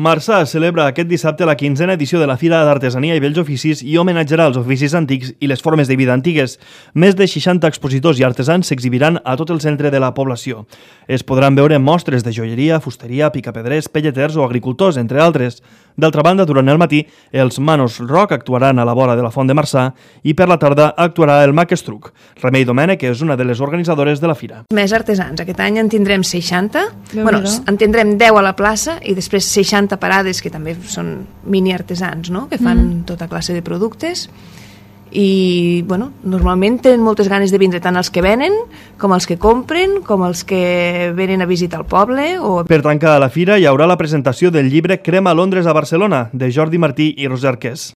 Marçà celebra aquest dissabte la 15a edició de la Fira d'Artesania i Bells Oficis i homenatjarà els oficis antics i les formes de vida antigues. Més de 60 expositors i artesans s'exhibiran a tot el centre de la població. Es podran veure mostres de joieria, fusteria, picapedrers, pelleters o agricultors, entre altres. D'altra banda, durant el matí, els Manos Rock actuaran a la vora de la Font de Marçà i per la tarda actuarà el Mac Estruc. Remei Domènech és una de les organitzadores de la fira. Més artesans. Aquest any en tindrem 60. En tindrem 10 a la plaça i després 60 parades que també són mini artesans, no? Que fan tota classe de productes i normalment tenen moltes ganes de vindre tant els que venen com els que compren com els que venen a visitar el poble. Per tancar la fira hi haurà la presentació del llibre Crema Londres a Barcelona de Jordi Martí i Roser Arqués.